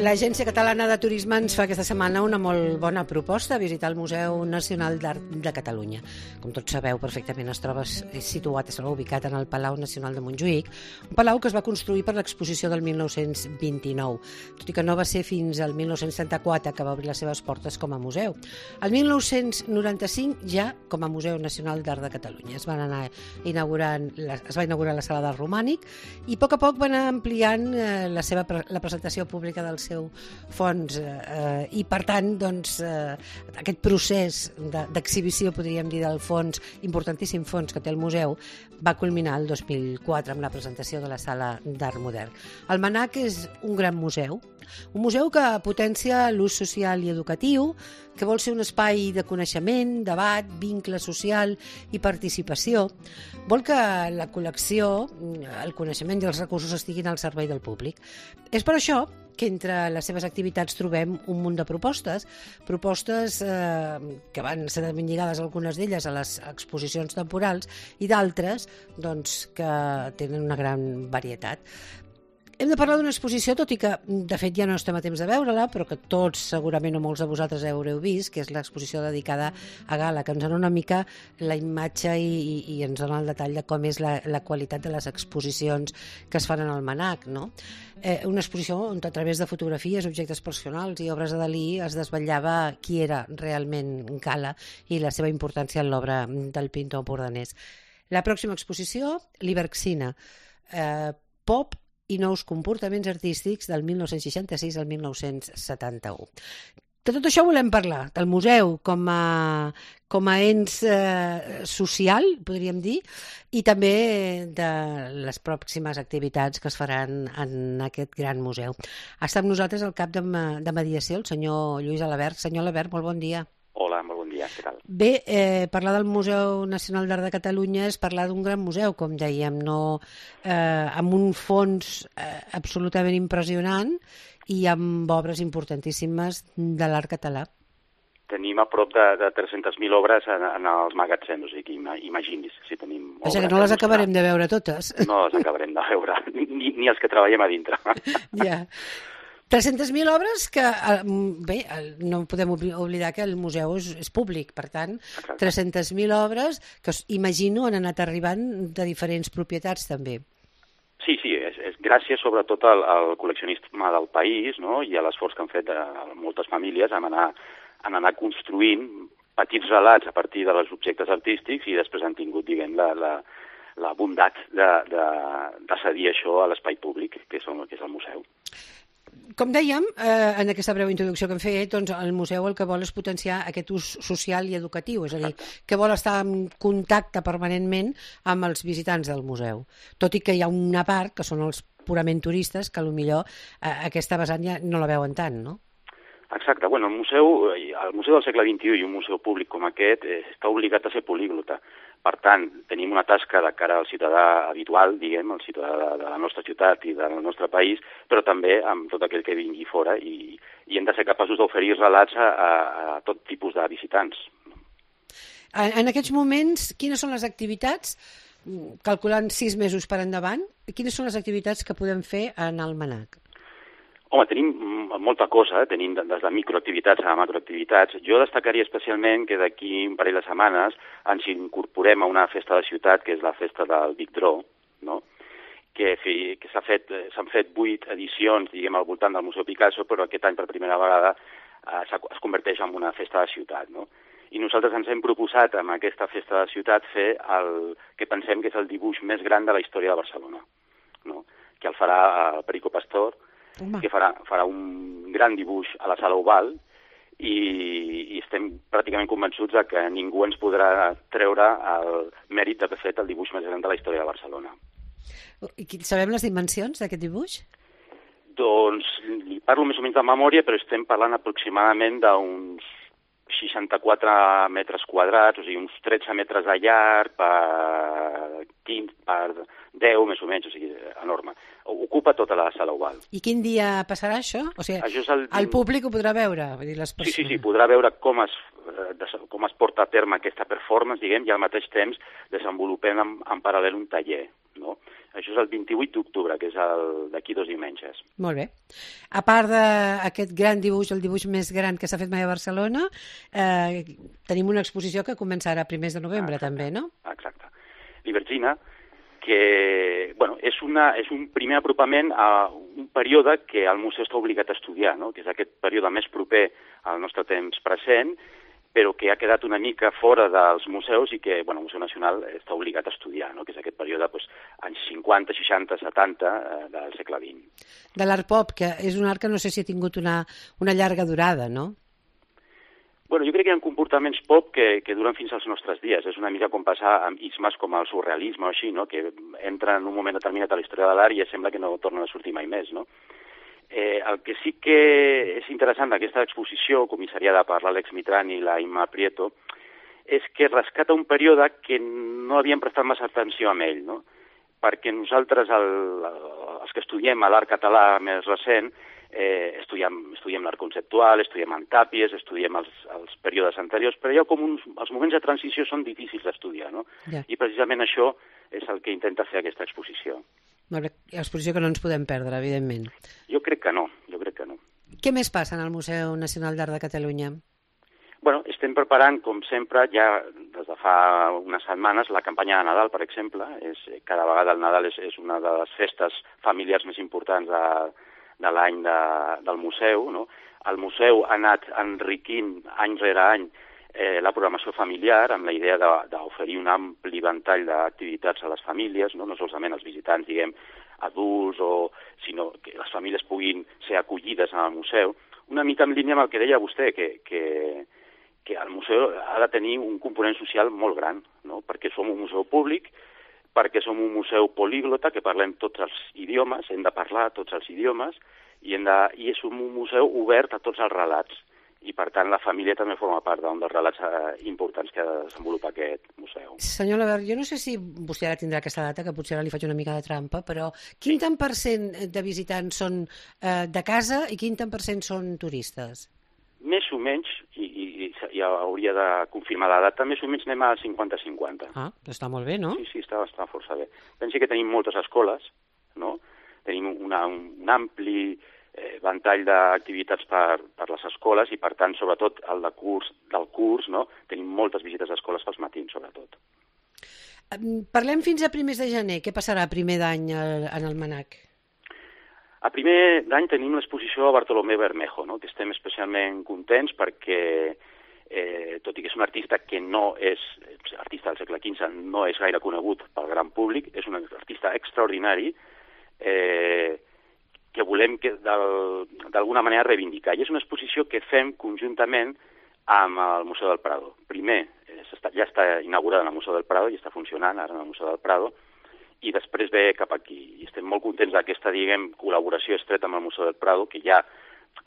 L'Agència Catalana de Turisme ens fa aquesta setmana una molt bona proposta, visitar el Museu Nacional d'Art de Catalunya. Com tots sabeu perfectament, es troba ubicat en el Palau Nacional de Montjuïc, un palau que es va construir per l'exposició del 1929, tot i que no va ser fins al 1934 que va obrir les seves portes com a museu. El 1995 ja com a Museu Nacional d'Art de Catalunya. Es va inaugurar la sala del Romànic i a poc va anar ampliant la presentació pública del seu fons i per tant aquest procés d'exhibició, podríem dir, del fons, importantíssim fons que té el museu, va culminar el 2004 amb la presentació de la sala d'art modern. El MNAC és un gran museu, un museu que potència l'ús social i educatiu, que vol ser un espai de coneixement, debat, vincle social i participació. Vol que la col·lecció, el coneixement i els recursos estiguin al servei del públic. És per això que entre les seves activitats trobem un munt de propostes que van ser ben lligades, algunes d'elles, a les exposicions temporals i d'altres que tenen una gran varietat. Hem de parlar d'una exposició, tot i que de fet ja no estem a temps de veure-la, però que tots segurament o molts de vosaltres haureu vist, que és l'exposició dedicada a Gala, que ens dona una mica la imatge i ens dona el detall de com és la qualitat de les exposicions que es fan en el MNAC, no? Una exposició on a través de fotografies, objectes personals i obres de Dalí es desvetllava qui era realment Gala i la seva importància en l'obra del pintor empordanès. La pròxima exposició, l'Iberxina, pop i nous comportaments artístics del 1966 al 1971. De tot això volem parlar, del museu com a ens social, podríem dir, i també de les pròximes activitats que es faran en aquest gran museu. Està amb nosaltres el cap de mediació, el senyor Lluís Alabert. Senyor Alabert, molt bon dia. Hola, molt bon dia, què tal? Bé, parlar del Museu Nacional d'Art de Catalunya és parlar d'un gran museu, com dèiem, amb un fons absolutament impressionant i amb obres importantíssimes de l'art català. Tenim a prop de 300.000 obres en els magatzems, o sigui, imagini's si tenim obres. Perquè no les acabarem de veure totes. No les acabarem de veure, ni els que treballem a dintre. Ja. 300.000 obres que, bé, no podem oblidar que el museu és públic, per tant, 300.000 obres que imagino han anat arribant de diferents propietats també. Sí, és gràcies sobretot al col·leccionisme del país, no? I a l'esforç que han fet moltes famílies en anar construint petits relats a partir dels objectes artístics i després han tingut, diguem, la bondat de cedir això a l'espai públic, que és el museu. Com dèiem, en aquesta breu introducció que hem fet, doncs el museu el que vol és potenciar aquest ús social i educatiu, és a dir, que vol estar en contacte permanentment amb els visitants del museu. Tot i que hi ha una part, que són els purament turistes, que potser aquesta vessant ja no la veuen tant, no? Exacte. Bueno, el museu del segle XXI i un museu públic com aquest està obligat a ser políglota. Per tant, tenim una tasca de cara al ciutadà habitual, diguem, el ciutadà de la nostra ciutat i del nostre país, però també amb tot aquell que vingui fora i hem de ser capaços d'oferir relats a tot tipus de visitants. En aquests moments, quines són les activitats, calculant 6 mesos per endavant, quines són les activitats que podem fer en el MNAC? Home, tenim molta cosa, tenim des de microactivitats a macroactivitats. Jo destacaria especialment que d'aquí un parell de setmanes ens incorporem a una festa de ciutat, que és la festa del Big Draw, no? que s'han fet 8 edicions, diguem, al voltant del Museu Picasso, però aquest any per primera vegada es converteix en una festa de ciutat, no? I nosaltres ens hem proposat amb aquesta festa de ciutat fer el que pensem que és el dibuix més gran de la història de Barcelona, no? Que el farà el Perico Pastor, que farà un gran dibuix a la sala Oval i estem pràcticament convençuts que ningú ens podrà treure el mèrit d'haver fet el dibuix més gran de la història de Barcelona. I sabem les dimensions d'aquest dibuix? Doncs li parlo més o menys de memòria, però estem parlant aproximadament d'uns 64 metres quadrats, o sigui, uns 13 metres de llarg per 10, més o menys, o sigui, enorme. Ocupa tota la sala Oval. I quin dia passarà això? O sigui, el públic ho podrà veure? Vull dir, les persones... Sí, podrà veure com es porta a terme aquesta performance, diguem, i al mateix temps desenvolupem en paral·lel un taller, no? Això és el 28 d'octubre, que és d'aquí 2 diumenges. Molt bé. A part d'aquest gran dibuix, el dibuix més gran que s'ha fet mai a Barcelona, tenim una exposició que comença ara a primers de novembre, també, no? Exacte. L'Ibergina, que és un primer apropament a un període que el museu està obligat a estudiar, no? Que és aquest període més proper al nostre temps present, però que ha quedat una mica fora dels museus i que el Museu Nacional està obligat a estudiar, no? Que és aquest període anys 50, 60, 70 del segle XX. De l'art pop, que és un art que no sé si ha tingut una llarga durada, no? Jo crec que hi ha comportaments pop que duren fins als nostres dies. És una mica com passar amb ismes com el surrealisme o així, no? Que entra en un moment determinat a la història de l'art i sembla que no tornen a sortir mai més, no? El que sí que és interessant d'aquesta exposició, comissariada per l'Àlex Mitran i la Imma Prieto, és que rescata un període que no havíem prestat massa atenció a ell, no? Perquè nosaltres, els que estudiem l'art català més recent, estudiem l'art conceptual, estudiem en tàpies, estudiem els períodes anteriors, però els moments de transició són difícils d'estudiar, no? Ja. I precisament això és el que intenta fer aquesta exposició. Molt bé, exposició que no ens podem perdre, evidentment. Jo crec que no. Què més passa en el Museu Nacional d'Art de Catalunya? Estem preparant, com sempre, ja des de fa unes setmanes, la campanya de Nadal, per exemple. Cada vegada el Nadal és una de les festes familiars més importants de l'any del museu, no? El museu ha anat enriquint any rere any la programació familiar amb la idea d'oferir un ampli ventall d'activitats a les famílies, no solament els visitants, adults, sinó que les famílies puguin ser acollides en el museu. Una mica en línia amb el que deia vostè, que el museu ha de tenir un component social molt gran, no? Perquè som un museu públic, perquè som un museu políglota, que parlem tots els idiomes, hem de parlar tots els idiomes, i és un museu obert a tots els relats. I, per tant, la família també forma part d'un dels relats importants que desenvolupa aquest museu. Senyor Labert, jo no sé si vostè ara tindrà aquesta data, que potser ara li faig una mica de trampa, però quin tant per cent de visitants són de casa i quin tant per cent són turistes? Més o menys, i hauria de confirmar la data, més o menys anem a 50-50. Ah, està molt bé, no? Sí, està força bé. Pensi que tenim moltes escoles, no? Tenim un ampli ventall d'activitats per les escoles i, per tant, sobretot del curs, no? Tenim moltes visites a escoles pels matins, sobretot. Parlem fins a primers de gener. Què passarà a primer d'any en el MNAC? A primer d'any tenim l'exposició a Bartolomé Bermejo, no? Que estem especialment contents perquè, tot i que és un artista que no és artista del segle XV, no és gaire conegut pel gran públic, és un artista extraordinari que volem d'alguna manera reivindicar. I és una exposició que fem conjuntament amb el Museu del Prado. Primer, ja està inaugurada en el Museu del Prado i està funcionant ara en el Museu del Prado, i després ve cap aquí. I estem molt contents d'aquesta, col·laboració estreta amb el Museu del Prado, que ja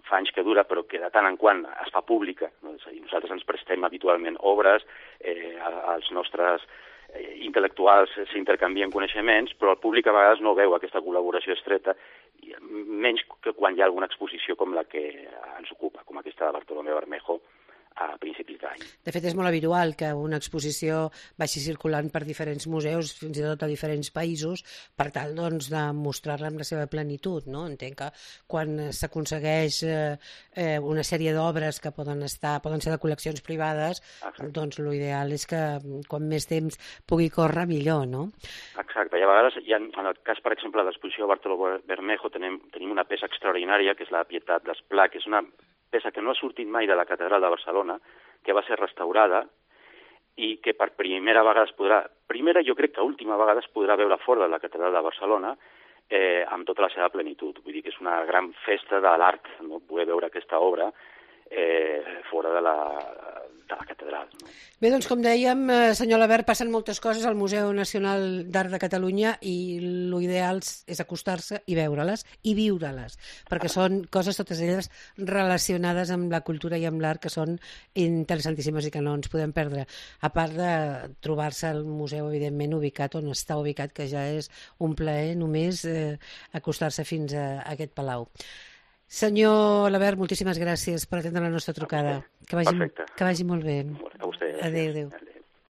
fa anys que dura, però que de tant en quant es fa pública. No? És a dir, nosaltres ens prestem habitualment obres, els nostres intel·lectuals s'intercanvien coneixements, però el públic a vegades no veu aquesta col·laboració estreta, menys que quan hi ha alguna exposició com la que ens ocupa, com aquesta de Bartolomé Bermejo a principis d'any. De fet, és molt habitual que una exposició vagi circulant per diferents museus, fins i tot a diferents països, per tal doncs, de mostrar-la amb la seva plenitud. No? Entenc que quan s'aconsegueix una sèrie d'obres que poden ser de col·leccions privades, doncs l'ideal és que quan més temps pugui córrer, millor, no? Exacte, i a vegades, en el cas, per exemple, de l'exposició de Bartolomé Bermejo, tenim una peça extraordinària, que és la Pietat d'Esplà, que és una peça que no ha sortit mai de la Catedral de Barcelona, que va ser restaurada i que per primera vegada jo crec que última vegada es podrà veure fora de la Catedral de Barcelona amb tota la seva plenitud. Vull dir que és una gran festa de l'art, no? Poder veure aquesta obra fora de la catedral. No? Bé, doncs com dèiem, senyor Labert, passen moltes coses al Museu Nacional d'Art de Catalunya i l'ideal és acostar-se i veure-les i viure-les, perquè són coses totes elles relacionades amb la cultura i amb l'art que són interessantíssimes i que no ens podem perdre, a part de trobar-se al museu, evidentment, ubicat on està ubicat, que ja és un plaer només acostar-se fins a aquest palau. Senyor Labert, moltíssimes gràcies per atendre la nostra trucada. Que vagi molt bé. A vostè. Adéu.